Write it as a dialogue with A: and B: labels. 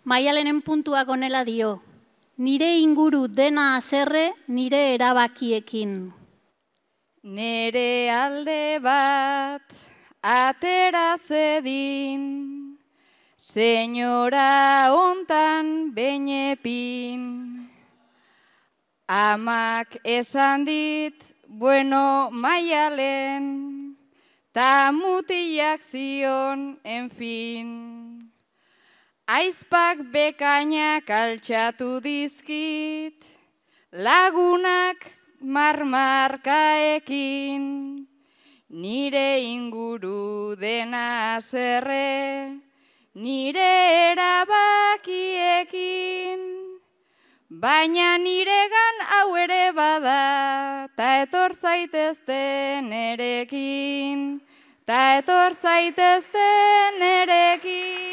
A: Maialenen puntuak honela dio, nire inguru dena haserre nire erabakiekin.
B: Nere alde bat atera zedin, senyora hontan benepin. Amak esan dit, bueno Maialen, ta mutilak zion, en fin. Aizpak bekainak altxatu dizkit, lagunak marmarkaekin, nire inguru dena haserre, nire erabakiekin. Baina niregan hau ere bada, ta etor zaitezte nerekin, ta etor zaitezte nerekin.